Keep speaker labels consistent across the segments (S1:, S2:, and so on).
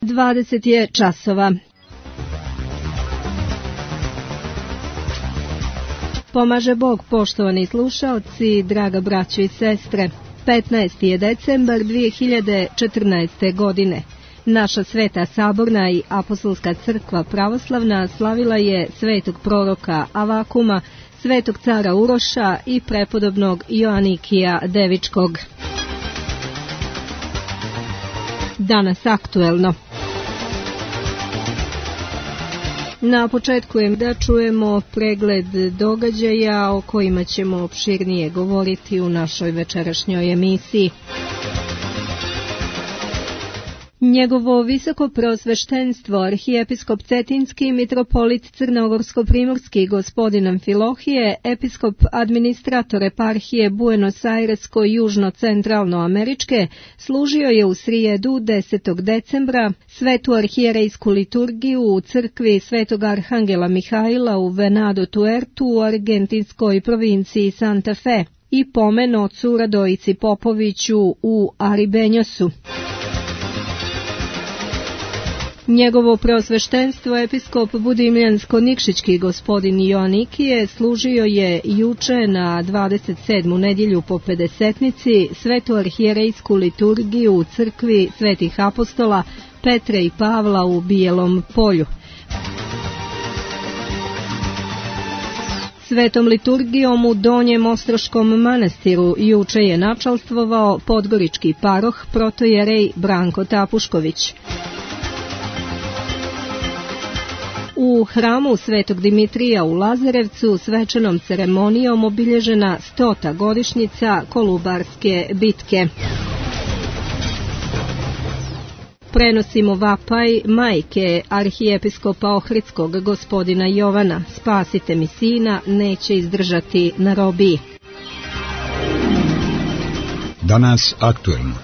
S1: 20 je časova. Pomaže Bog, poštovani slušaoci, draga braćo i sestre. 15. je decembar 2014. godine. Naša Sveta Saborna i Apostolska crkva pravoslavna slavila je svetog proroka Avakuma, svetog cara Uroša i prepodobnog Joanikija Devičkog. Danas aktuelno. Na početku je da čujemo pregled događaja o kojima ćemo opširnije govoriti u našoj večerašnjoj emisiji. Njegovo visoko preosveštenstvo, arhijepiskop Cetinski, mitropolit Crnogorsko-primorski gospodin Amfilohije, episkop administrator eparhije Buenos Airesko-južno-centralnoameričke, služio je u srijedu 10. decembra svetu arhijerejsku liturgiju u crkvi Svetog Arhangela Mihaila u Venado Tuertu u argentinskoj provinciji Santa Fe i pomen ocu Radojici Popoviću u Aribenjosu. Njegovo preosveštenstvo, episkop Budimljansko-Nikšićki gospodin Joanikije, služio je juče na 27. nedjelju po Pedesetnici svetu arhijerejsku liturgiju u crkvi Svetih apostola Petre i Pavla u Bijelom Polju. Svetom liturgijom u Donjem Ostroškom manastiru juče je načalstvovao podgorički paroh protojerej Branko Tapušković. U hramu Svetog Dimitrija u Lazarevcu svečanom ceremonijom obilježena 100. godišnjica Kolubarske bitke. Prenosimo vapaj majke arhijepiskopa Ohridskog gospodina Jovana: spasite mi sina, neće izdržati na robiji.
S2: Danas aktuelno.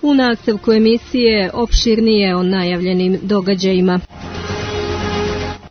S1: U nastavku emisije opširnije o najavljenim događajima.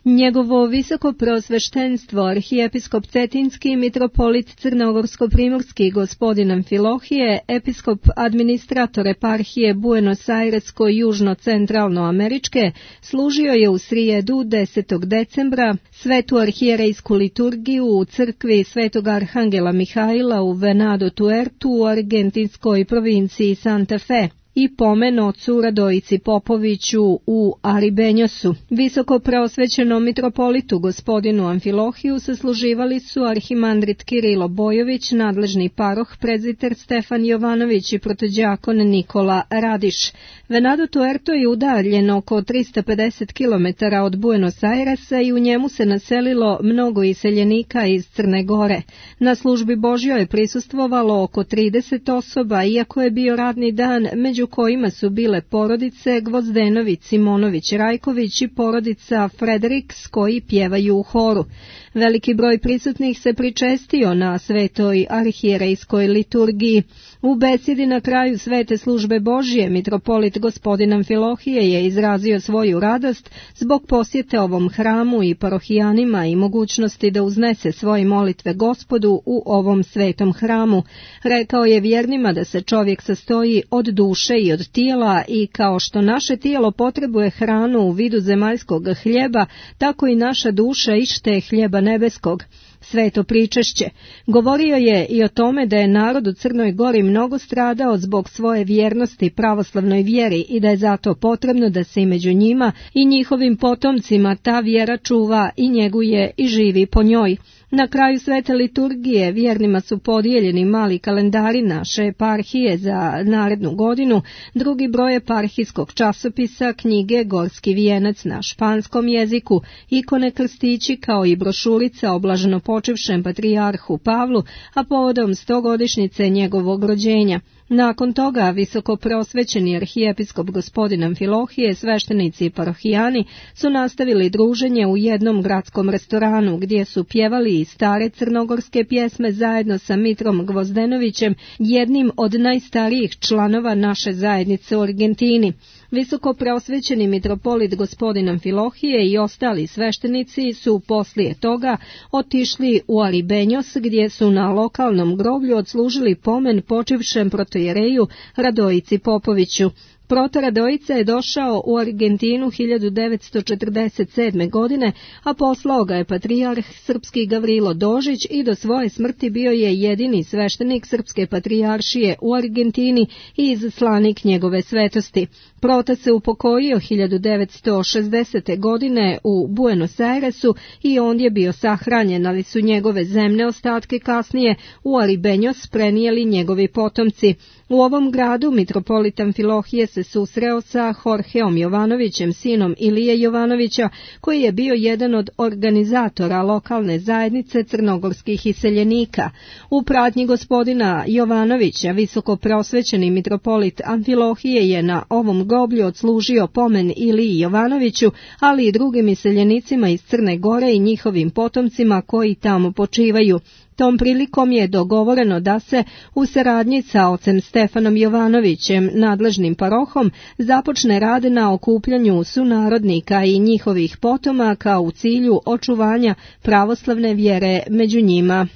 S1: Njegovo visoko preosveštenstvo, arhijepiskop Cetinski, mitropolit Crnogorsko-primorski gospodin Amfilohije, episkop administrator eparhije Buenos Airesko-južno-centralnoameričke, služio je u srijedu 10. decembra svetu arhijerejsku liturgiju u crkvi Svetog Arhangela Mihaila u Venado Tuertu u argentinskoj provinciji Santa Fe i pomen ocu Radojici Popoviću u Aribenjosu. Visoko preosvećenom mitropolitu gospodinu Amfilohiju sasluživali su arhimandrit Kirilo Bojović, nadležni paroh prezbiter Stefan Jovanović i protođakon Nikola Radiš. Venado Tuerto je udaljen oko 350 km od Buenos Airesa i u njemu se naselilo mnogo iseljenika iz Crne Gore. Na službi Božjoj je prisustvovalo oko 30 osoba, iako je bio radni dan, među kojima su bile porodice Gvozdenović, Simonović, Rajković i porodica Frederiks koji pjevaju u horu. Veliki broj prisutnih se pričestio na svetoj arhijerejskoj liturgiji. U besedi na kraju svete službe Božje, mitropolit gospodin Amfilohije je izrazio svoju radost zbog posjete ovom hramu i parohijanima i mogućnosti da uznese svoje molitve Gospodu u ovom svetom hramu. Rekao je vjernima da se čovjek sastoji od duše i od tijela i kao što naše tijelo potrebuje hranu u vidu zemaljskog hljeba, tako i naša duša ište hljeba nebeskog. Sveto pričešće. Govorio je i o tome da je narod u Crnoj Gori mnogo stradao zbog svoje vjernosti pravoslavnoj vjeri i da je zato potrebno da se i među njima i njihovim potomcima ta vjera čuva i njeguje i živi po njoj. Na kraju svete liturgije vjernima su podijeljeni mali kalendari naše eparhije za narednu godinu, drugi broj eparhijskog časopisa, knjige Gorski vijenac na španskom jeziku, ikone krstići kao i brošurica o blaženopočivšem patrijarhu Pavlu, a povodom 100-godišnjice njegovog rođenja. Nakon toga visoko preosvećeni arhijepiskop gospodin Amfilohije, sveštenici i parohijani su nastavili druženje u jednom gradskom restoranu gdje su pjevali i stare crnogorske pjesme zajedno sa Mitrom Gvozdenovićem, jednim od najstarijih članova naše zajednice u Argentini. Visoko preosvećeni mitropolit gospodin Amfilohije i ostali sveštenici su poslije toga otišli u Aribenjos, gdje su na lokalnom groblju odslužili pomen počivšem protojereju Radojici Popoviću. Proto Radojica je došao u Argentinu 1947. godine, a poslao ga je patrijarh srpski Gavrilo Dožić i do svoje smrti bio je jedini sveštenik srpske patrijaršije u Argentini i izaslanik njegove svetosti. Prota se upokojio 1960. godine u Buenos Airesu i ondje bio sahranjen, ali su njegove zemne ostatke kasnije u Aribenjos prenijeli njegovi potomci. U ovom gradu mitropolit Amfilohije se susreo sa Jorgeom Jovanovićem, sinom Ilije Jovanovića, koji je bio jedan od organizatora lokalne zajednice crnogorskih iseljenika. U pratnji gospodina Jovanovića visoko preosvećeni mitropolit Amfilohije je na ovom groblju odslužio pomen Iliji Jovanoviću, ali i drugim iseljenicima iz Crne Gore i njihovim potomcima koji tamo počivaju. Tom prilikom je dogovoreno da se u saradnji sa ocem Stefanom Jovanovićem, nadležnim parohom, započne rad na okupljanju sunarodnika i njihovih potomaka u cilju očuvanja pravoslavne vjere među njima.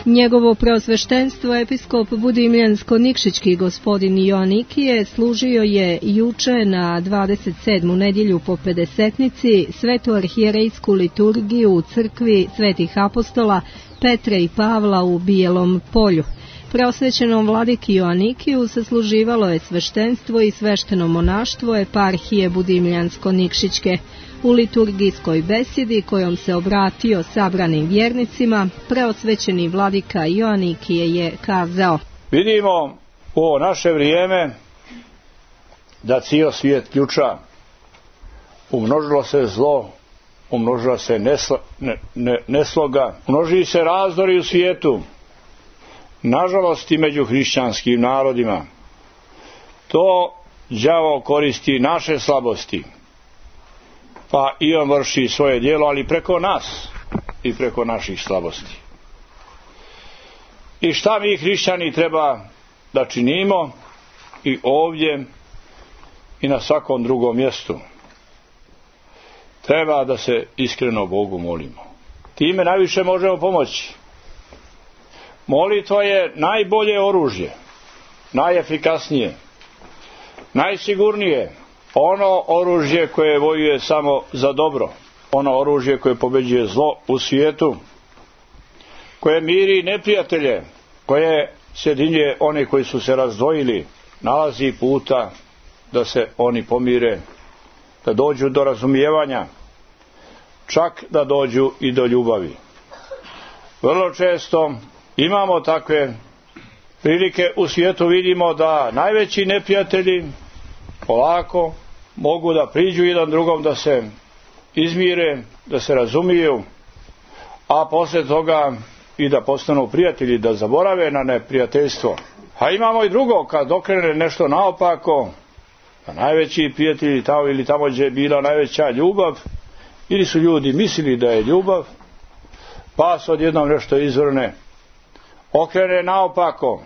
S1: Njegovo preosveštenstvo episkop Budimljansko-Nikšićki gospodin Joanikije služio je juče na 27. nedjelju po Pedesetnici svetu arhijerejsku liturgiju u crkvi Svetih apostola Petre i Pavla u Bijelom Polju. Preosvećenom vladiki Joanikiju sasluživalo je sveštenstvo i svešteno monaštvo eparhije Budimljansko-Nikšićke. U liturgijskoj besjedi kojom se obratio sabranim vjernicima, preosvećeni vladika Joanikije je kazao:
S3: Vidimo u ovo naše vrijeme da cijel svijet ključa. Umnožilo se zlo, umnožila se nesloga, množi se razdori u svijetu, nažalost i među hrišćanskim narodima. To đavo koristi naše slabosti, pa i on vrši svoje djelo, ali preko nas i preko naših slabosti. I šta mi hrišćani treba da činimo i ovdje i na svakom drugom mjestu? Treba da se iskreno Bogu molimo. Time najviše možemo pomoći. Molitva je najbolje oružje, najefikasnije, najsigurnije. Ono oružje koje vojuje samo za dobro, ono oružje koje pobeđuje zlo u svijetu, koje miri neprijatelje, koje sjedinjuje one koji su se razdvojili, nalazi puta da se oni pomire, da dođu do razumijevanja, čak da dođu i do ljubavi. Vrlo često imamo takve prilike u svijetu, vidimo da najveći neprijatelji polako mogu da priđu jedan drugom, da se izmire, da se razumiju, a poslije toga i da postanu prijatelji, da zaborave na neprijateljstvo. A imamo i drugo, kad okrene nešto naopako, da najveći prijatelji tamo ili tamo gdje je bila najveća ljubav, ili su ljudi mislili da je ljubav, pa se odjednom nešto izvrne, okrene naopako.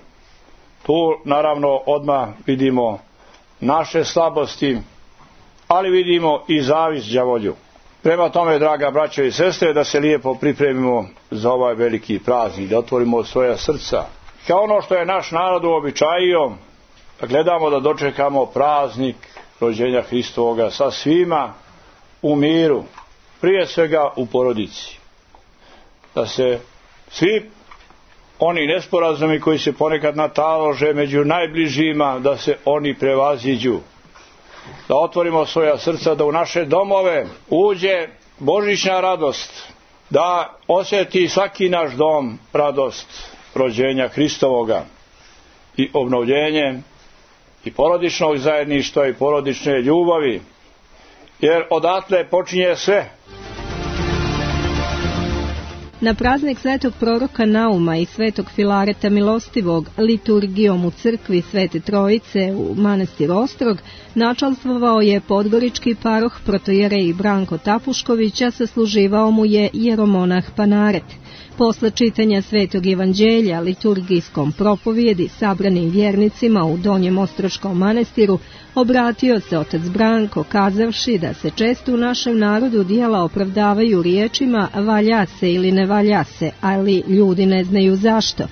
S3: Tu naravno odmah vidimo naše slabosti, ali vidimo i zavist đavolju. Prema tome, draga braćo i sestre, da se lijepo pripremimo za ovaj veliki praznik, da otvorimo svoja srca. Kao ono što je naš narod uobičajio, da gledamo da dočekamo praznik rođenja Hristovoga sa svima u miru, prije svega u porodici. Da se svi oni nesporazumi koji se ponekad natalože među najbližima, da se oni prevaziđu. Da otvorimo svoja srca, da u naše domove uđe božićna radost, da osjeti svaki naš dom radost rođenja Hristovoga i obnovljenje i porodičnog zajedništva i porodične ljubavi, jer odatle počinje sve.
S1: Na praznik svetog proroka Nauma i svetog Filareta Milostivog liturgijom u crkvi Svete Trojice u manastir Ostrog načalstvovao je podgorički paroh protojerej Branko Tapušković, a sasluživao mu je jeromonah Panaret. Posle čitanja Svetog evanđelja liturgijskom propovjedi sabranim vjernicima u Donjem Ostroškom manastiru obratio se otac Branko kazavši da se često u našem narodu djela opravdavaju riječima valja se ili ne valja se, ali ljudi ne znaju zašto.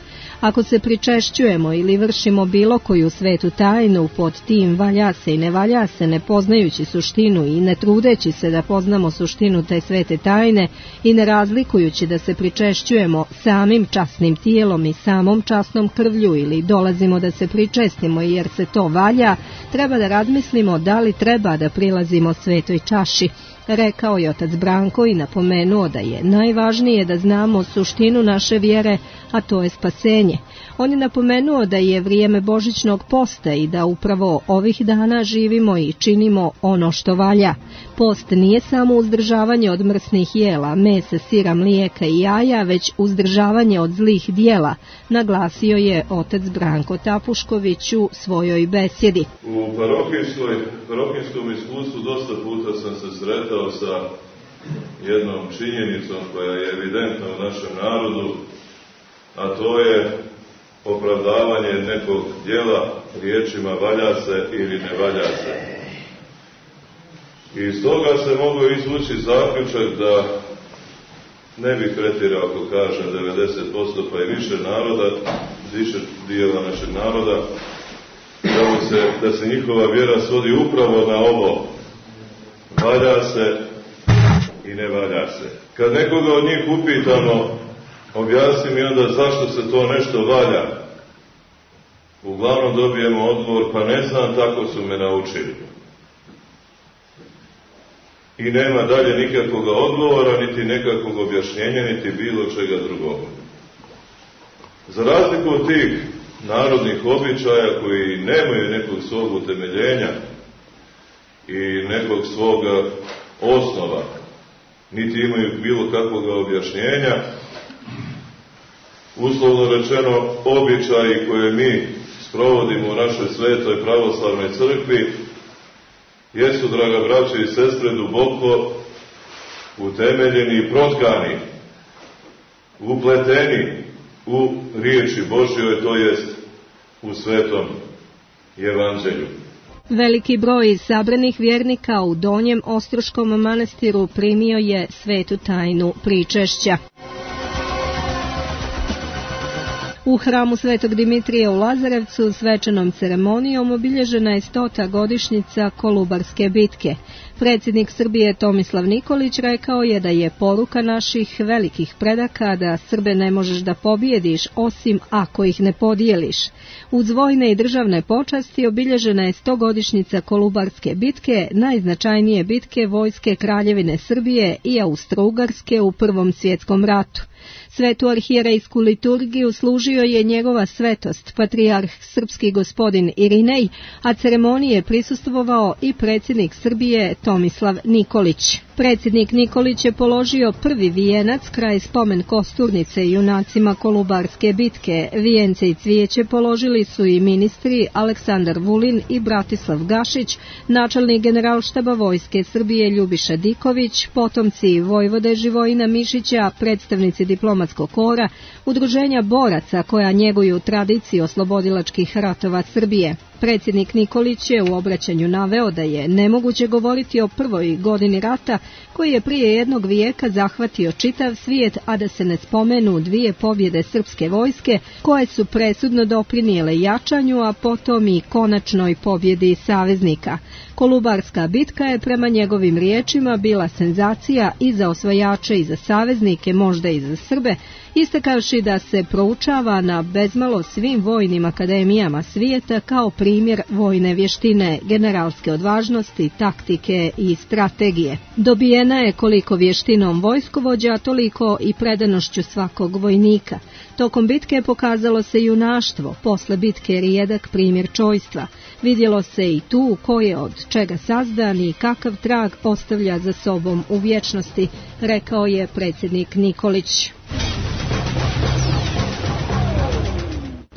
S1: Ako se pričešćujemo ili vršimo bilo koju svetu tajnu pod tim valja se i ne valja se, ne poznajući suštinu i ne trudeći se da poznamo suštinu te svete tajne i ne razlikujući da se pričešćujemo samim časnim tijelom i samom časnom krvlju ili dolazimo da se pričestimo jer se to valja, treba da razmislimo da li treba da prilazimo svetoj čaši, rekao je otac Branko i napomenuo da je najvažnije da znamo suštinu naše vjere, a to je spasenje. On je napomenuo da je vrijeme božićnog posta i da upravo ovih dana živimo i činimo ono što valja. Post nije samo uzdržavanje od mrsnih jela, mesa, sira, mlijeka i jaja, već uzdržavanje od zlih dijela, naglasio je otac Branko Tapušković u svojoj besjedi.
S4: U parohijskom iskustvu dosta puta sam se sretao sa jednom činjenicom koja je evidentna u našem narodu, a to je opravdavanje nekog djela riječima valja se ili ne valja se. I iz toga se mogu izvući zaključak da ne bih pretjerao ako kažem 90% pa i više naroda, više dijela našeg naroda, da se njihova vjera svodi upravo na ovo valja se i ne valja se. Kad nekoga od njih upitamo, objasni mi onda zašto se to nešto valja, uglavnom dobijemo odgovor, pa ne znam, tako su me naučili. I nema dalje nikakvog odgovora, niti nekakvog objašnjenja, niti bilo čega drugog. Za razliku od tih narodnih običaja koji nemaju nekog svog utemeljenja i nekog svoga osnova, niti imaju bilo kakvog objašnjenja, uslovno rečeno običaji koje mi sprovodimo u našoj svetoj pravoslavnoj crkvi jesu, draga braćo i sestre, duboko utemeljeni i protkani, upleteni u riječi Božjoj, to jest u svetom evanđelju.
S1: Veliki broj sabranih vjernika u Donjem Ostroškom manastiru primio je svetu tajnu pričešća. U hramu Svetog Dimitrija u Lazarevcu svečanom ceremonijom obilježena je 100. godišnjica Kolubarske bitke. Predsjednik Srbije Tomislav Nikolić rekao je da je poruka naših velikih predaka da Srbe ne možeš da pobijediš osim ako ih ne podijeliš. Uz vojne i državne počasti obilježena je 100. godišnjica Kolubarske bitke, najznačajnije bitke vojske Kraljevine Srbije i Austro-Ugarske u Prvom svjetskom ratu. Svetu arhijerejsku liturgiju služio je njegova svetost, patrijarh srpski gospodin Irinej, a ceremonije prisustvovao i predsjednik Srbije Tomislav Nikolić. Predsjednik Nikolić je položio prvi vijenac kraj spomen kosturnice junacima Kolubarske bitke. Vijence i cvijeće položili su i ministri Aleksandar Vulin i Bratislav Gašić, načelnik generalštaba vojske Srbije Ljubiša Diković, potomci vojvode Živojina Mišića, predstavnici diplomatskog kora, udruženja boraca koja njeguju tradiciju oslobodilačkih ratova Srbije. Predsjednik Nikolić je u obraćanju naveo da je nemoguće govoriti o prvoj godini rata koji je prije jednog vijeka zahvatio čitav svijet, a da se ne spomenu 2 pobjede srpske vojske koje su presudno doprinijele jačanju, a potom i konačnoj pobjedi saveznika. Kolubarska bitka je prema njegovim riječima bila senzacija i za osvajače i za saveznike, možda i za Srbe, istakavši da se proučava na bezmalo svim vojnim akademijama svijeta kao primjer vojne vještine, generalske odvažnosti, taktike i strategije. Dobijena je koliko vještinom vojskovođa, toliko i predanošću svakog vojnika. Tokom bitke pokazalo se junaštvo, posle bitke rijedak primjer čojstva. Vidjelo se i tu ko je od čega sazdan i kakav trag ostavlja za sobom u vječnosti, rekao je predsjednik Nikolić.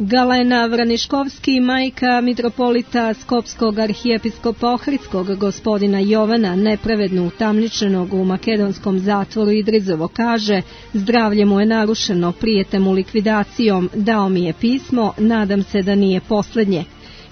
S1: Galena Vraniškovski, majka mitropolita Skopskog arhijepiskopa Ohridskog gospodina Jovana, nepravedno utamničenog u makedonskom zatvoru Idrizovo, kaže: zdravlje mu je narušeno, prijete mu likvidacijom, dao mi je pismo, nadam se da nije posljednje.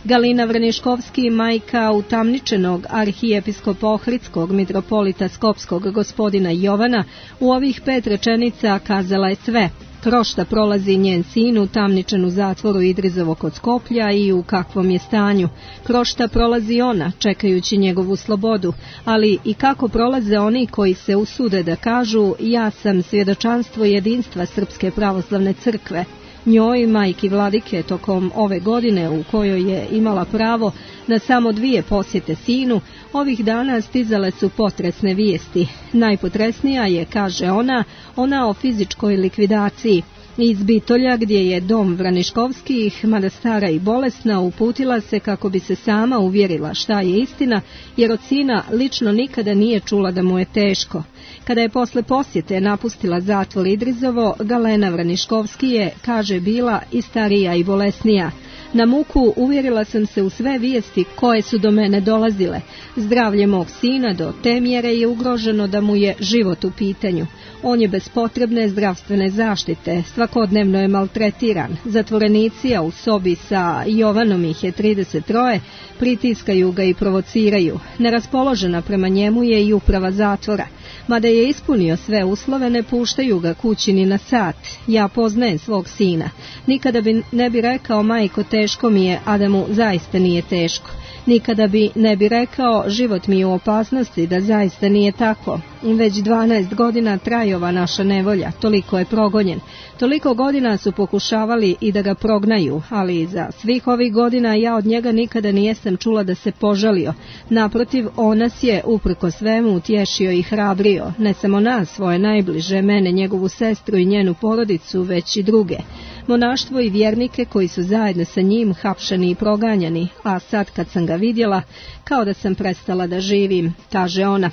S1: Galina Vraniškovski, majka utamničenog arhijepiskopa Ohridskog mitropolita Skopskog gospodina Jovana, u ovih 5 rečenica kazala je sve. Kroz šta prolazi njen sin utamničen u zatvoru Idrizovo kod Skoplja i u kakvom je stanju, kroz šta prolazi ona čekajući njegovu slobodu, ali i kako prolaze oni koji se usude da kažu: ja sam svjedočanstvo jedinstva Srpske pravoslavne crkve. Njoj, majki Vladike, tokom ove godine u kojoj je imala pravo na samo 2 posjete sinu, ovih dana stizale su potresne vijesti. Najpotresnija je, kaže ona o fizičkoj likvidaciji. Iz Bitolja, gdje je dom Vraniškovskih, mada stara i bolesna, uputila se kako bi se sama uvjerila šta je istina, jer od sina lično nikada nije čula da mu je teško. Kada je posle posjete napustila zatvor Idrizovo, Galena Vraniškovski je, kaže, bila i starija i bolesnija. Na muku uvjerila sam se u sve vijesti koje su do mene dolazile. Zdravlje mog sina do te mjere je ugroženo da mu je život u pitanju. On je bez potrebne zdravstvene zaštite, svakodnevno je maltretiran. Zatvorenici, a u sobi sa Jovanom ih je 33, pritiskaju ga i provociraju. Neraspoložena prema njemu je i uprava zatvora. Mada je ispunio sve uslove, ne puštaju ga kući ni na sat. Ja poznajem svog sina. Nikada ne bi rekao: majko, teško mi je, a da mu zaista nije teško. Nikada ne bi rekao: život mi je u opasnosti, da zaista nije tako. Već 12 godina traje ova naša nevolja, toliko je progonjen. Toliko godina su pokušavali i da ga prognaju, ali za svih ovih godina ja od njega nikada nijesam čula da se požalio. Naprotiv, on nas je uprko svemu utješio i hrabrio, ne samo nas, svoje najbliže, mene, njegovu sestru i njenu porodicu, već i druge. Monaštvo i vjernike koji su zajedno sa njim hapšani i proganjani, a sad kad sam ga vidjela, kao da sam prestala da živim, kaže ona.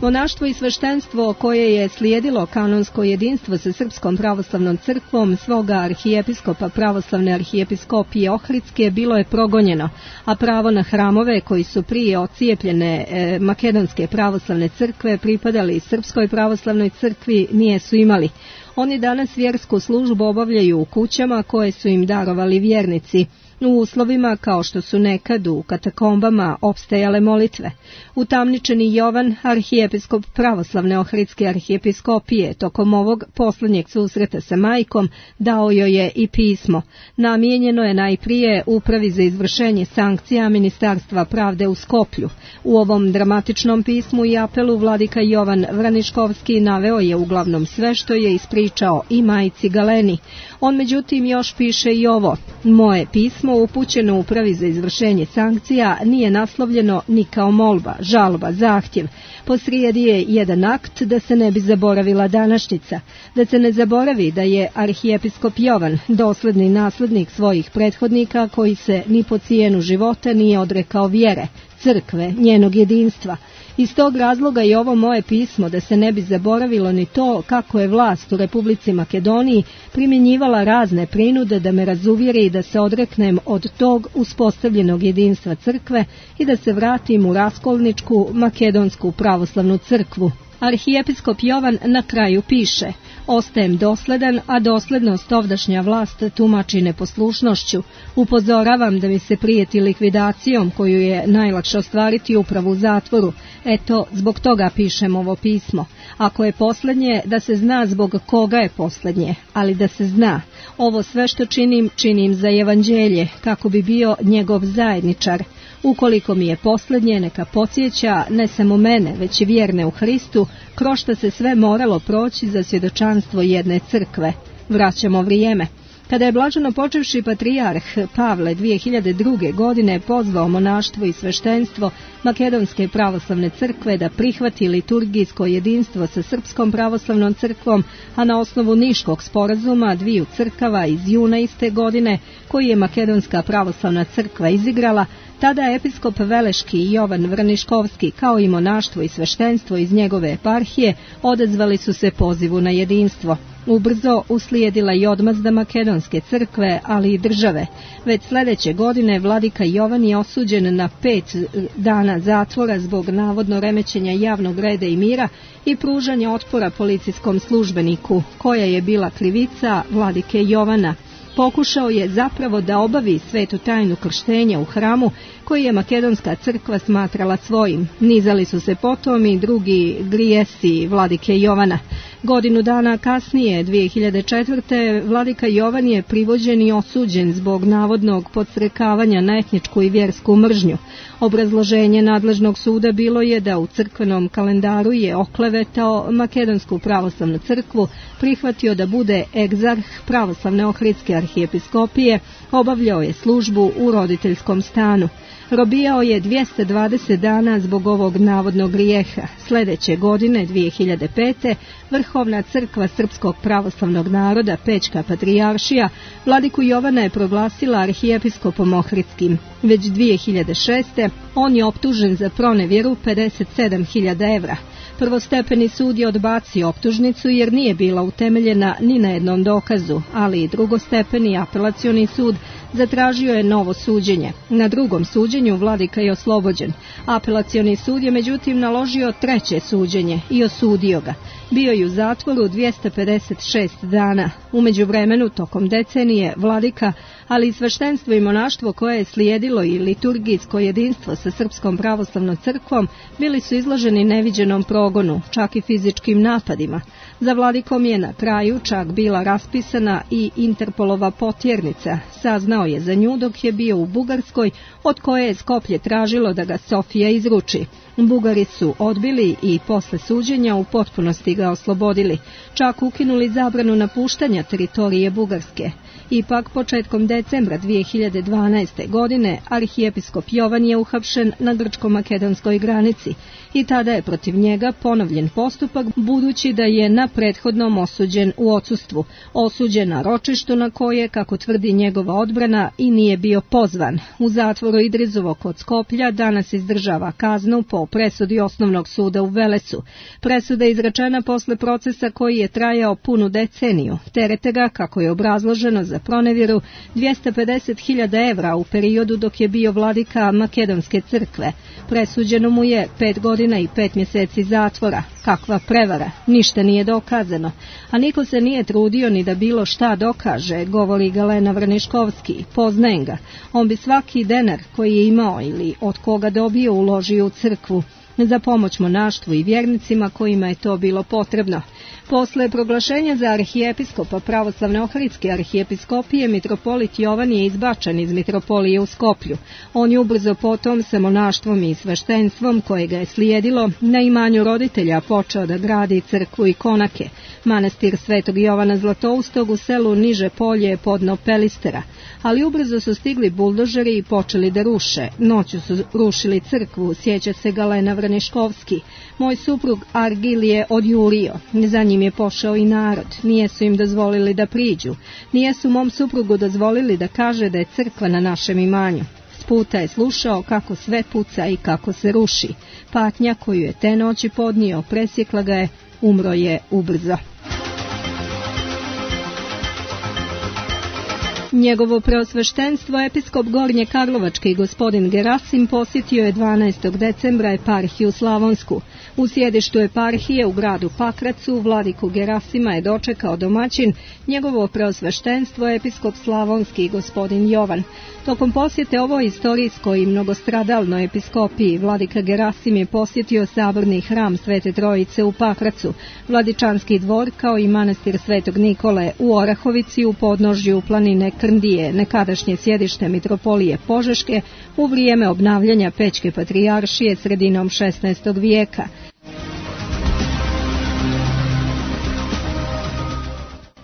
S1: Monaštvo i sveštenstvo koje je slijedilo kanonsko jedinstvo sa Srpskom pravoslavnom crkvom svoga arhijepiskopa pravoslavne arhijepiskopije Ohridske bilo je progonjeno, a pravo na hramove koji su prije ocijepljene makedonske pravoslavne crkve pripadali Srpskoj pravoslavnoj crkvi nijesu imali. Oni danas vjersku službu obavljaju u kućama koje su im darovali vjernici, u uslovima kao što su nekad u katakombama opstajale molitve. Utamničeni Jovan, arhijepiskop pravoslavne Ohridske arhijepiskopije, tokom ovog posljednjeg susreta sa majkom, dao joj je i pismo. Namijenjeno je najprije Upravi za izvršenje sankcija Ministarstva pravde u Skoplju. U ovom dramatičnom pismu i apelu vladika Jovan Vraniškovski naveo je uglavnom sve što je ispričao i majci Galeni. On međutim još piše i ovo: moje pismo upućeno Upravi za izvršenje sankcija nije naslovljeno ni kao molba, žalba, zahtjev. Posrijedi je jedan akt da se ne bi zaboravila današnjica, da se ne zaboravi da je arhijepiskop Jovan dosledni naslednik svojih prethodnika koji se ni po cijenu života nije odrekao vjere, crkve, njenog jedinstva. Iz tog razloga je ovo moje pismo da se ne bi zaboravilo ni to kako je vlast u Republici Makedoniji primjenjivala razne prinude da me razuvjeri i da se odreknem od tog uspostavljenog jedinstva crkve i da se vratim u raskolničku makedonsku pravoslavnu crkvu. Arhijepiskop Jovan na kraju piše: ostajem dosledan, a doslednost ovdašnja vlast tumači neposlušnošću. Upozoravam da mi se prijeti likvidacijom koju je najlakše ostvariti upravo u zatvoru. Eto, zbog toga pišem ovo pismo. Ako je posljednje, da se zna zbog koga je posljednje, ali da se zna. Ovo sve što činim za evanđelje, kako bi bio njegov zajedničar. Ukoliko mi je posljednje, neka podsjeća ne samo mene, već i vjerne u Hristu, kroz što se sve moralo proći za svjedočanstvo jedne crkve. Vraćamo vrijeme. Kada je blaženo počevši patrijarh Pavle 2002. godine pozvao monaštvo i sveštenstvo Makedonske pravoslavne crkve da prihvati liturgijsko jedinstvo sa Srpskom pravoslavnom crkvom, a na osnovu Niškog sporazuma dviju crkava iz juna iste godine, koji je Makedonska pravoslavna crkva izigrala, tada episkop Veleški Jovan Vraniškovski, kao i monaštvo i sveštenstvo iz njegove eparhije, odazvali su se pozivu na jedinstvo. Ubrzo uslijedila i odmazda makedonske crkve, ali i države. Već sljedeće godine vladika Jovan je osuđen na 5 dana zatvora zbog navodno remećenja javnog reda i mira i pružanja otpora policijskom službeniku, koja je bila krivica vladike Jovana. Pokušao je zapravo da obavi svetu tajnu krštenja u hramu koji je makedonska crkva smatrala svojim. Nizali su se potom i drugi grijesi vladike Jovana. Godinu dana kasnije, 2004. vladika Jovan je privođen i osuđen zbog navodnog podstrekavanja na etničku i vjersku mržnju. Obrazloženje nadležnog suda bilo je da u crkvenom kalendaru je oklevetao makedonsku pravoslavnu crkvu, prihvatio da bude egzarh pravoslavne ohridske arhijepiskopije, obavljao je službu u roditeljskom stanu. Robijao je 220 dana zbog ovog navodnog grijeha. Sljedeće godine, 2005. Vrhovna crkva Srpskog pravoslavnog naroda, Pećka patrijaršija, vladiku Jovana je proglasila arhijepiskopom ohridskim. Već 2006. on je optužen za pronevjeru 57.000 evra. Prvostepeni sud je odbacio optužnicu jer nije bila utemeljena ni na jednom dokazu, ali i drugostepeni apelacioni sud zatražio je novo suđenje. Na drugom suđenju vladika je oslobođen. Apelacioni sud je međutim naložio treće suđenje i osudio ga. Bio je u zatvoru 256 dana. U međuvremenu, tokom decenije, vladika, ali i sveštenstvo i monaštvo koje je slijedilo i liturgijsko jedinstvo sa Srpskom pravoslavnom crkvom bili su izloženi neviđenom progonu, čak i fizičkim napadima. Za vladikom je na kraju čak bila raspisana i Interpolova potjernica. Saznao je za nju dok je bio u Bugarskoj, od koje je Skoplje tražilo da ga Sofija izruči. Bugari su odbili i posle suđenja u potpunosti ga oslobodili, čak ukinuli zabranu napuštanja teritorije Bugarske. Ipak, početkom decembra 2012. godine, arhijepiskop Jovan je uhapšen na grčko-makedonskoj granici i tada je protiv njega ponovljen postupak, budući da je na prethodnom osuđen u odsustvu, osuđen na ročištu na koje, kako tvrdi njegova odbrana, i nije bio pozvan. U zatvoru Idrizovo kod Skoplja danas izdržava kaznu po presudi osnovnog suda u Velesu. Presuda je izrečena posle procesa koji je trajao punu deceniju. Terete ga, kako je obrazloženo za pronevjeru, 250.000 evra u periodu dok je bio vladika makedonske crkve. Presuđeno mu je 5 godina i 5 mjeseci zatvora. Kakva prevara, ništa nije dokazano, a niko se nije trudio ni da bilo šta dokaže, govori Galena Vrniškovski. Poznajem ga, on bi svaki denar koji je imao ili od koga dobio uložio u crkvu, za pomoć monaštvu i vjernicima kojima je to bilo potrebno. Posle proglašenja za arhijepiskopa pravoslavne ohridske arhijepiskopije, mitropolit Jovan je izbačen iz mitropolije u Skoplju. On je ubrzo potom sa monaštvom i sveštenstvom koje ga je slijedilo na imanju roditelja počeo da gradi crkvu i konake. Manastir Svetog Jovana Zlatoustog u selu Niže Polje podno Pelistera. Ali ubrzo su stigli buldožeri i počeli da ruše. Noću su rušili crkvu, sjeća se Galena Vrniškovski. Moj suprug Argil je odjurio. Za njim je pošao i narod. Nijesu im dozvolili da priđu. Nijesu mom suprugu dozvolili da kaže da je crkva na našem imanju. S puta je slušao kako sve puca i kako se ruši. Patnja koju je te noći podnio presjekla ga je, umro je ubrzo. Njegovo preosveštenstvo, episkop Gornje Karlovačke i gospodin Gerasim, posjetio je 12. decembra eparhiju Slavonsku. U sjedištu eparhije u gradu Pakracu vladiku Gerasima je dočekao domaćin, njegovo preosveštenstvo, episkop Slavonski i gospodin Jovan. Tokom posjete ovoj istorijskoj i mnogostradalnoj episkopiji, vladika Gerasim je posjetio saborni hram Svete Trojice u Pakracu, Vladičanski dvor kao i manastir Svetog Nikole u Orahovici u podnožju planine Krndije, nekadašnje sjedište mitropolije Požeške u vrijeme obnavljanja Pećke patrijaršije sredinom 16. vijeka.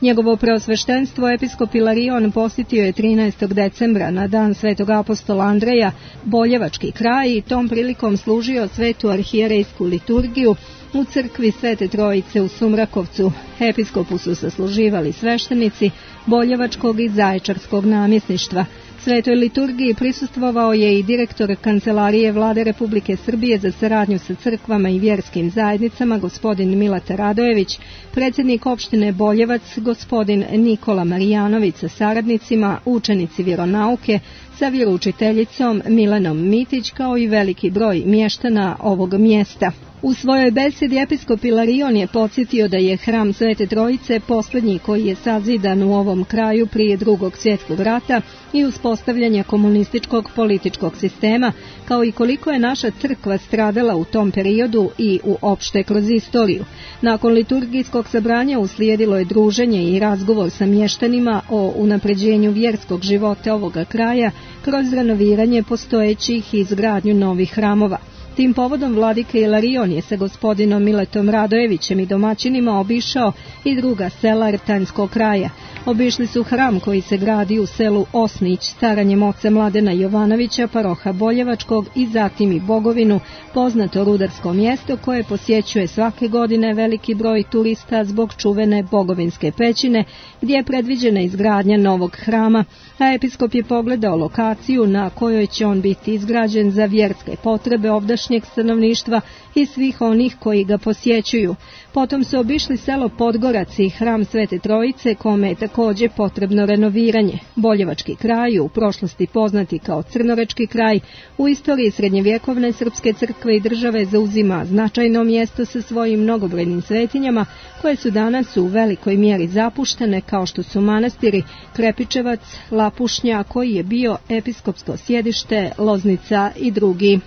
S1: Njegovo preosveštenstvo episkop Ilarion posjetio je 13. decembra na dan Svetog apostola Andreja Boljevački kraj i tom prilikom služio svetu arhijerejsku liturgiju u crkvi Svete Trojice u Sumrakovcu. Episkopu su sasluživali sveštenici Boljevačkog i Zaječarskog namjesništva. Svetoj liturgiji prisustvovao je i direktor Kancelarije Vlade Republike Srbije za saradnju sa crkvama i vjerskim zajednicama, gospodin Mileta Radojević, predsjednik opštine Boljevac, gospodin Nikola Marijanović sa saradnicima, učenici vjeronauke, sa vjeroučiteljicom Milanom Mitić, kao i veliki broj mještana ovog mjesta. U svojoj besedi episkop Ilarion je podsjetio da je hram Svete Trojice posljednji koji je sazidan u ovom kraju prije Drugog svjetskog rata i uspostavljanja komunističkog političkog sistema, kao i koliko je naša crkva stradala u tom periodu i uopšte kroz istoriju. Nakon liturgijskog sabranja uslijedilo je druženje i razgovor sa mještanima o unapređenju vjerskog života ovoga kraja kroz renoviranje postojećih i izgradnju novih hramova. Tim povodom vladika Ilarion je sa gospodinom Miletom Radojevićem i domaćinima obišao i druga sela Rtanjskog kraja. Obišli su hram koji se gradi u selu Osnić staranjem oca Mladena Jovanovića, paroha Boljevačkog, i zatim i Bogovinu, poznato rudarsko mjesto koje posjećuje svake godine veliki broj turista zbog čuvene Bogovinske pećine, gdje je predviđena izgradnja novog hrama, a episkop je pogledao lokaciju na kojoj će on biti izgrađen za vjerske potrebe ovdašnjeg stanovništva i svih onih koji ga posjećuju. Potom su obišli selo Podgorac i hram Svete Trojice, kome je također potrebno renoviranje. Boljevački kraj, u prošlosti poznati kao Crnorečki kraj, u istoriji srednjevjekovne srpske crkve i države zauzima značajno mjesto sa svojim mnogobrojnim svetinjama, koje su danas u velikoj mjeri zapuštene, kao što su manastiri Krepičevac, Lapušnja, koji je bio episkopsko sjedište, Loznica i drugi.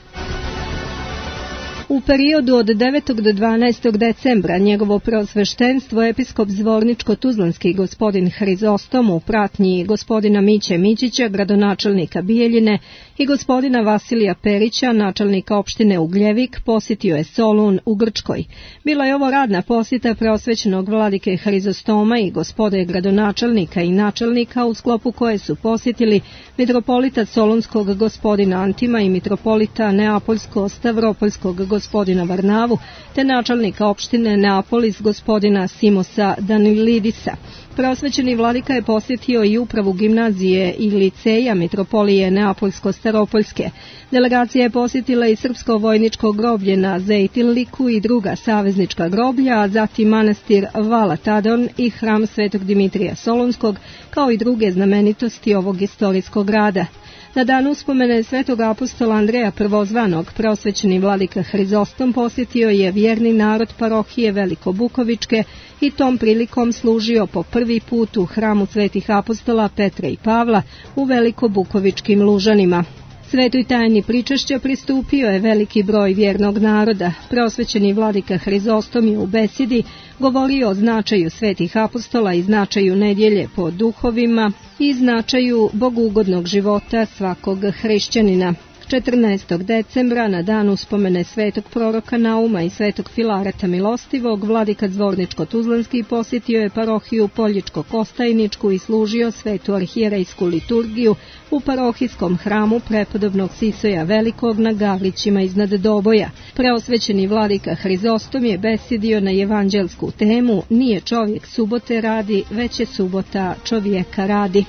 S1: U periodu od 9. do 12. decembra njegovo preosveštenstvo episkop Zvorničko-Tuzlanski gospodin Hrizostom u pratnji gospodina Miće Mićića, gradonačelnika Bijeljine, i gospodina Vasilija Perića, načelnika opštine Ugljevik, posjetio je Solun u Grčkoj. Bila je ovo radna posjeta preosvećenog vladike Hrizostoma i gospode gradonačelnika i načelnika, u sklopu koje su posjetili mitropolita Solunskog gospodina Antima i mitropolita Neapoljsko-Stavropoljskog gospodina Varnavu, te načelnika opštine Neapolis gospodina Simosa Danilidisa. Preosvećeni vladika je posjetio i upravu gimnazije i liceja mitropolije Neapoljsko-Staropoljske. Delegacija je posjetila i srpsko vojničko groblje na Zejtilniku i druga saveznička groblja, a zatim manastir Valatadon i hram Svetog Dimitrija Solunskog, kao i druge znamenitosti ovog istorijskog grada. Na dan uspomene svetog apostola Andreja Prvozvanog, preosvećeni vladika Hrizostom posjetio je vjerni narod parohije Velikobukovičke i tom prilikom služio po prvi put u hramu svetih apostola Petra i Pavla u Velikobukovičkim Lužanima. Svetoj tajni pričešća pristupio je veliki broj vjernog naroda. Preosvećeni vladika Hrizostom je u besedi govorio o značaju svetih apostola i značaju nedjelje po duhovima i značaju bogugodnog života svakog hrišćanina. 14. decembra, na dan uspomene svetog proroka Nauma i svetog Filareta Milostivog, vladika Zvorničko-Tuzlanski posjetio je parohiju Poljičko-Kostajničku i služio svetu arhijerejsku liturgiju u parohijskom hramu prepodobnog Sisoja Velikog na Gavrićima iznad Doboja. Preosvećeni vladika Hrizostom je besedio na evanđelsku temu "Nije čovjek subote radi, već je subota čovjeka radi".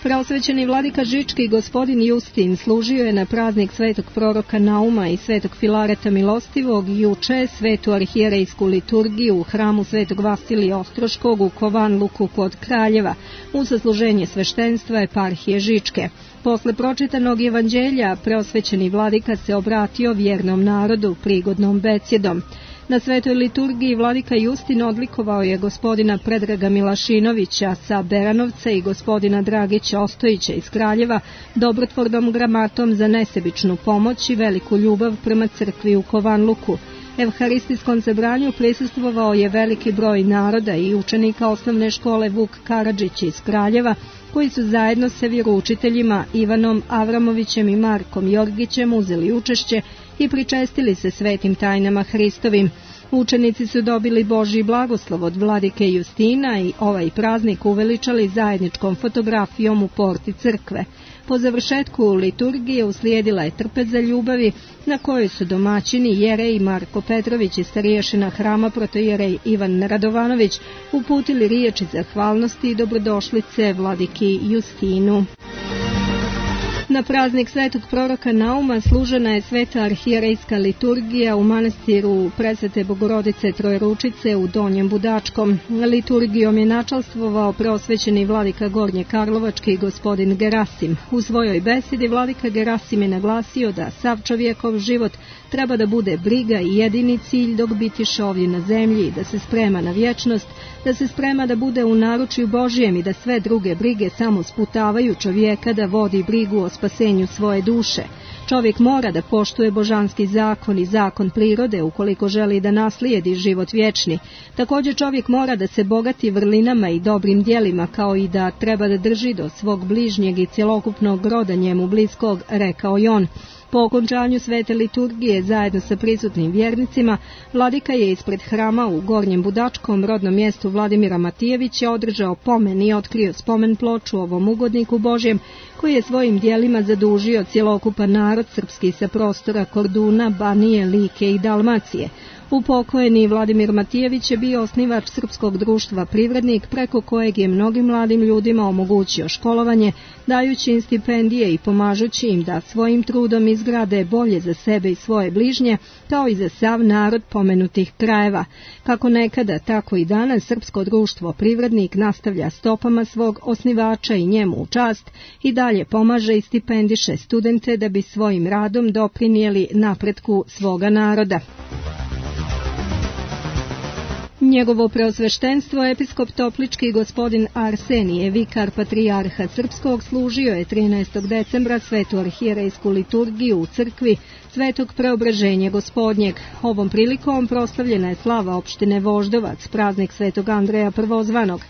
S1: Preosvećeni vladika Žički gospodin Justin služio je na praznik svetog proroka Nauma i svetog Filareta Milostivog juče svetu arhijerejsku liturgiju u hramu svetog Vasilija Ostroškog u Kovanluku kod Kraljeva u sasluženje sveštenstva eparhije Žičke. Posle pročitanog evanđelja preosvećeni vladika se obratio vjernom narodu prigodnom besjedom. Na svetoj liturgiji vladika Justin odlikovao je gospodina Predraga Milašinovića sa Beranovca i gospodina Dragića Ostojića iz Kraljeva dobrotvornom gramatom za nesebičnu pomoć i veliku ljubav prema crkvi u Kovanluku. Evharistijskom sabranju prisustvovao je veliki broj naroda i učenika osnovne škole Vuk Karadžić iz Kraljeva, koji su zajedno sa vjeroučiteljima Ivanom Avramovićem i Markom Jorgićem uzeli učešće i pričestili se svetim tajnama Hristovim. Učenici su dobili Božji blagoslov od vladike Justina i ovaj praznik uveličali zajedničkom fotografijom u porti crkve. Po završetku liturgije uslijedila je trpeza ljubavi na kojoj su domaćini jerej Marko Petrović i starješina hrama protojerej Ivan Radovanović uputili riječi zahvalnosti i dobrodošlice vladiki Justinu. Na praznik svetog proroka Nauma služena je sveta arhijerejska liturgija u manastiru Presvete Bogorodice Trojeručice u Donjem Budačkom. Liturgijom je načalstvovao preosvećeni vladika Gornje Karlovački gospodin Gerasim. U svojoj besedi vladika Gerasim je naglasio da sav čovjekov život treba da bude briga i jedini cilj dok bitiše ovdje na zemlji, da se sprema na vječnost, da se sprema da bude u naručju Božijem i da sve druge brige samo sputavaju čovjeka da vodi brigu o spasenju svoje duše. Čovjek mora da poštuje božanski zakon i zakon prirode ukoliko želi da naslijedi život vječni. Također čovjek mora da se bogati vrlinama i dobrim djelima, kao i da treba da drži do svog bližnjeg i cjelokupnog roda njemu bliskog, rekao je on. Po okončanju svete liturgije zajedno sa prisutnim vjernicima, vladika je ispred hrama u Gornjem Budačkom, rodnom mjestu Vladimira Matijevića, održao pomen i otkrio spomen ploču ovom ugodniku Božjem, koji je svojim djelima zadužio cjelokupan narod srpski sa prostora Korduna, Banije, Like i Dalmacije. Upokojeni Vladimir Matijević je bio osnivač Srpskog društva Privrednik, preko kojeg je mnogim mladim ljudima omogućio školovanje, dajući im stipendije i pomažući im da svojim trudom izgrade bolje za sebe i svoje bližnje, kao i za sav narod pomenutih krajeva. Kako nekada, tako i danas Srpsko društvo Privrednik nastavlja stopama svog osnivača i njemu u čast i dalje pomaže i stipendiše studente da bi svojim radom doprinijeli napretku svoga naroda. Njegovo preosveštenstvo, episkop Toplički gospodin Arsenije, vikar patrijarha Srpskog, služio je 13. decembra svetu arhijerejsku liturgiju u crkvi Svetog Preobraženja Gospodnjeg. Ovom prilikom proslavljena je slava opštine Voždovac, praznik Svetog Andreja Prvozvanog.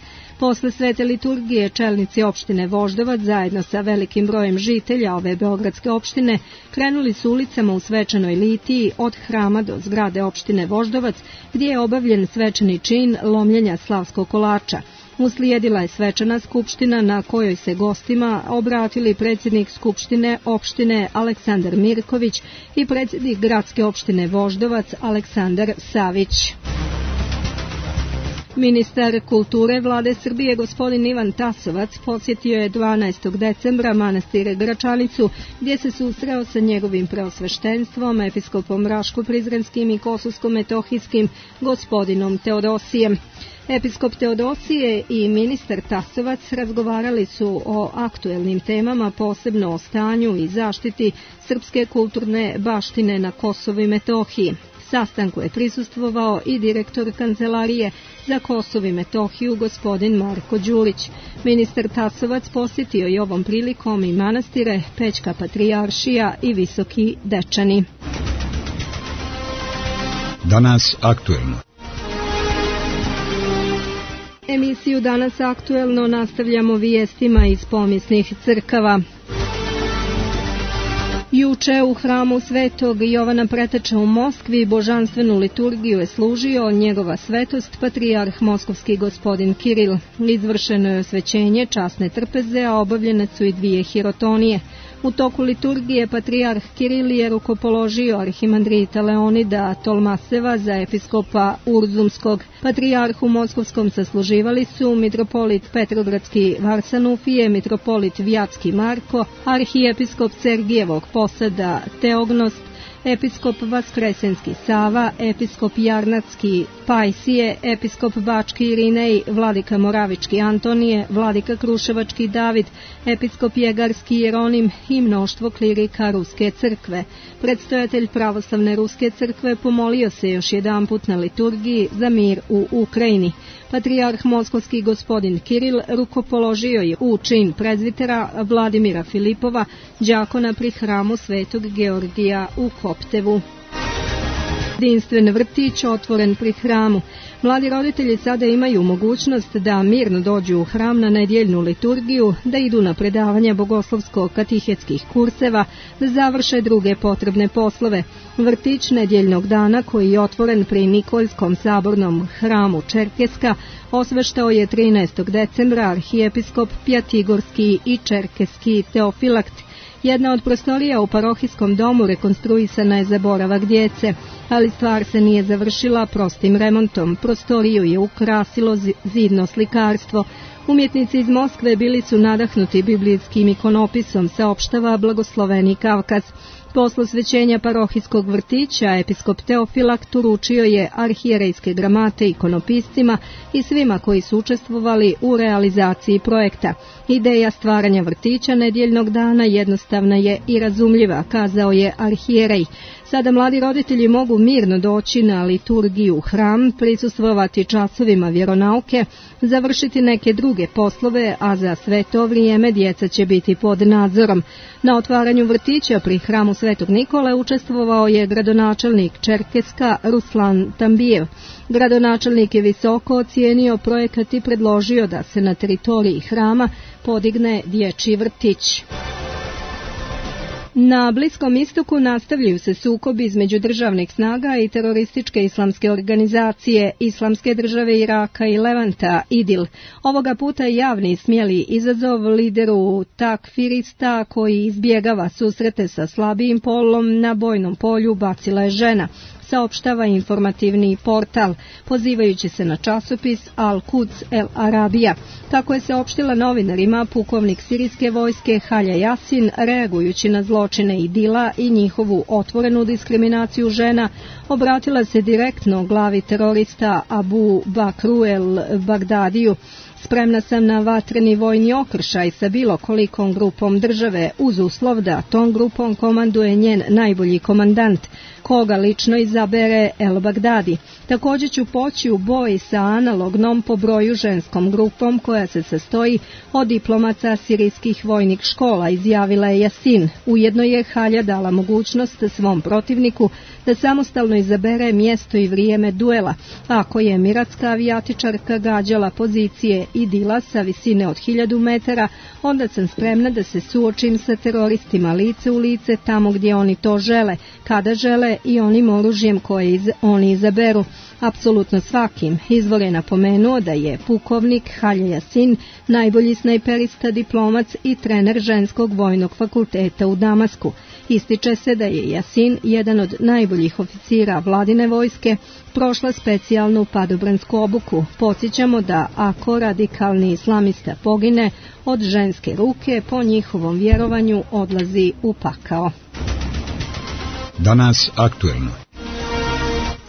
S1: Posle svete liturgije čelnici opštine Voždovac zajedno sa velikim brojem žitelja ove beogradske opštine krenuli su ulicama u svečanoj litiji od hrama do zgrade opštine Voždovac, gdje je obavljen svečani čin lomljenja slavskog kolača. Uslijedila je svečana skupština na kojoj se gostima obratili predsjednik skupštine opštine Aleksandar Mirković i predsjednik gradske opštine Voždovac Aleksandar Savić. Ministar kulture Vlade Srbije gospodin Ivan Tasovac posjetio je 12. decembra manastir Gračanicu, gdje se susreo sa njegovim preosveštenstvom, episkopom Raško-Prizrenskim i Kosovsko-Metohijskim gospodinom Teodosijem. Episkop Teodosije i ministar Tasovac razgovarali su o aktuelnim temama, posebno o stanju i zaštiti srpske kulturne baštine na Kosovu i Metohiji. Sastanku je prisustvovao i direktor Kancelarije za Kosovo i Metohiju gospodin Marko Đulić. Ministar Tasovac posjetio je ovom prilikom i manastire Pećka Patrijaršija i Visoki Dečani.
S2: Danas aktuelno.
S1: Emisiju Danas aktuelno nastavljamo vijestima iz pomisnih crkava. Juče u hramu Svetog Jovana Preteča u Moskvi božanstvenu liturgiju je služio njegova svetost patrijarh moskovski gospodin Kiril. Izvršeno je osvećenje časne trpeze, a obavljene su i 2 hirotonije. U toku liturgije patrijarh Kiril je rukopoložio arhimandrita Leonida Tolmaseva za episkopa Urzumskog. Patrijarhu moskovskom sasluživali su mitropolit Petrogradski Varsanufije, mitropolit Vjatski Marko, arhijepiskop Sergijevog Posada Teognost, episkop Vaskresenski Sava, episkop Jarnatski Pajsije, episkop Bački Irinej, vladika Moravički Antonije, vladika Kruševački David, episkop Jegarski Jeronim i mnoštvo klirika Ruske crkve. Predstojatelj pravoslavne Ruske crkve pomolio se još jedanput na liturgiji za mir u Ukrajini. Patrijarh moskovski gospodin Kiril rukopoložio je u čin prezvitera Vladimira Filipova, đakona pri hramu Svetog Georgija u Koptevu. Jedinstven vrtić otvoren pri hramu. Mladi roditelji sada imaju mogućnost da mirno dođu u hram na nedjeljnu liturgiju, da idu na predavanja bogoslovsko-katehetskih kurseva, da završe druge potrebne poslove. Vrtić nedjeljnog dana, koji je otvoren pri Nikoljskom sabornom hramu Čerkeska, osveštao je 13. decembra arhijepiskop Pjatigorski i Čerkeski Teofilakt. Jedna od prostorija u parohijskom domu rekonstruisana je za boravak djece, ali stvar se nije završila prostim remontom. Prostoriju je ukrasilo zidno slikarstvo. Umjetnici iz Moskve bili su nadahnuti biblijskim ikonopisom, saopštava blagosloveni Kavkaz. Posle svećenja parohijskog vrtića, episkop Teofilakt uručio je arhijerejske gramate ikonopiscima i svima koji su učestvovali u realizaciji projekta. Ideja stvaranja vrtića nedjeljnog dana jednostavna je i razumljiva, kazao je arhijerej. Sada mladi roditelji mogu mirno doći na liturgiju u hram, prisustvovati časovima vjeronauke, završiti neke druge poslove, a za sve to vrijeme djeca će biti pod nadzorom. Na otvaranju vrtića pri hramu Svetog Nikole učestvovao je gradonačelnik Čerkeska Ruslan Tambijev. Gradonačelnik je visoko ocijenio projekat i predložio da se na teritoriji hrama podigne dječji vrtić. Na Bliskom istoku nastavljaju se sukobi između državnih snaga i terorističke islamske organizacije Islamske države Iraka i Levanta, IDIL. Ovoga puta javni smjeli izazov lideru takfirista koji izbjegava susrete sa slabijim polom na bojnom polju bacila je žena, saopštava informativni portal, pozivajući se na časopis Al-Quds El Arabija. Kako je saopštila novinarima, pukovnik sirijske vojske Halja Yasin, reagujući na zločine IDIL-a i njihovu otvorenu diskriminaciju žena, obratila se direktno glavi terorista Abu Bakru El Bagdadiju. Spremna sam na vatreni vojni okršaj sa bilo kolikom grupom države, uz uslov da tom grupom komanduje njen najbolji komandant, koga lično izabere El Bagdadi. Također ću poći u boj sa analognom po broju ženskom grupom koja se sastoji od diplomaca sirijskih vojnih škola, izjavila je Yasin. Ujedno je Halja dala mogućnost svom protivniku da samostalno izabere mjesto i vrijeme duela. Ako je emiratska avijatičarka gađala pozicije IDIL-a sa visine od 1000 metara, onda sam spremna da se suočim sa teroristima lice u lice tamo gdje oni to žele, kada žele i onim oružjem koje oni izaberu. Apsolutno svakim. Izvor je napomenuo da je pukovnik Halja Yasin najbolji snajperista, diplomac i trener ženskog vojnog fakulteta u Damasku. Ističe se da je Yasin, jedan od najboljih oficira vladine vojske, prošla specijalnu padobransku obuku. Podsjećamo da ako radikalni islamista pogine od ženske ruke, po njihovom vjerovanju odlazi u pakao.
S2: Danas aktuelno.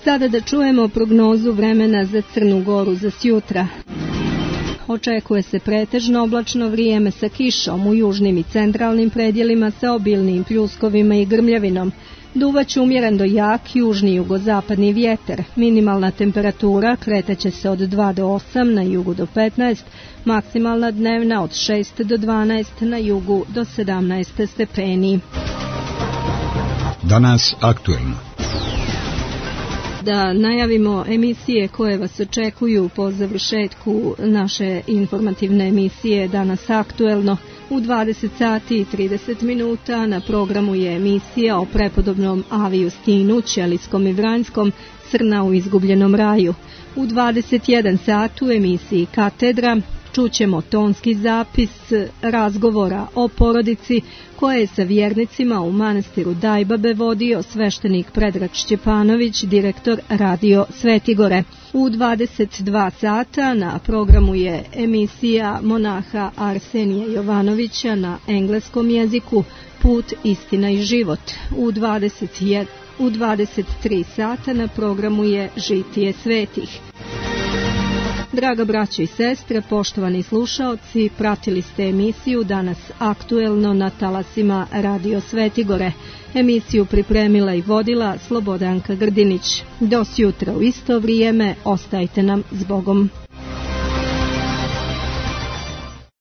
S1: Sada da čujemo prognozu vremena za Crnu Goru za sjutra. Očekuje se pretežno oblačno vrijeme sa kišom u južnim i centralnim predjelima sa obilnim pljuskovima i grmljavinom. Duvaće umjeren do jak južni jugozapadni vjetar. Minimalna temperatura kretaće se od 2 do 8, na jugu do 15, maksimalna dnevna od 6 do 12, na jugu do 17 stepeni.
S2: Danas aktuelno.
S1: Da najavimo emisije koje vas očekuju po završetku naše informativne emisije Danas aktuelno. U 20 sati i 30 minuta na programu je emisija o prepodobnom Avi Justinu, Ćelijskom i Vranjskom, Crna u izgubljenom raju. U 21 sat u emisiji Katedra čućemo tonski zapis razgovora o porodici koje je sa vjernicima u manastiru Dajbabe vodio sveštenik Predrag Šćepanović, direktor Radio Svetigore. U 22 sata na programu je emisija monaha Arsenija Jovanovića na engleskom jeziku Put, istina i život. U 23 sata na programu je Žitije svetih. Draga braćo i sestre, poštovani slušaoci, pratili ste emisiju Danas aktuelno na talasima Radio Svetigore. Emisiju pripremila i vodila Slobodanka Grdinić. Do sutra u isto vrijeme, ostajte nam s Bogom.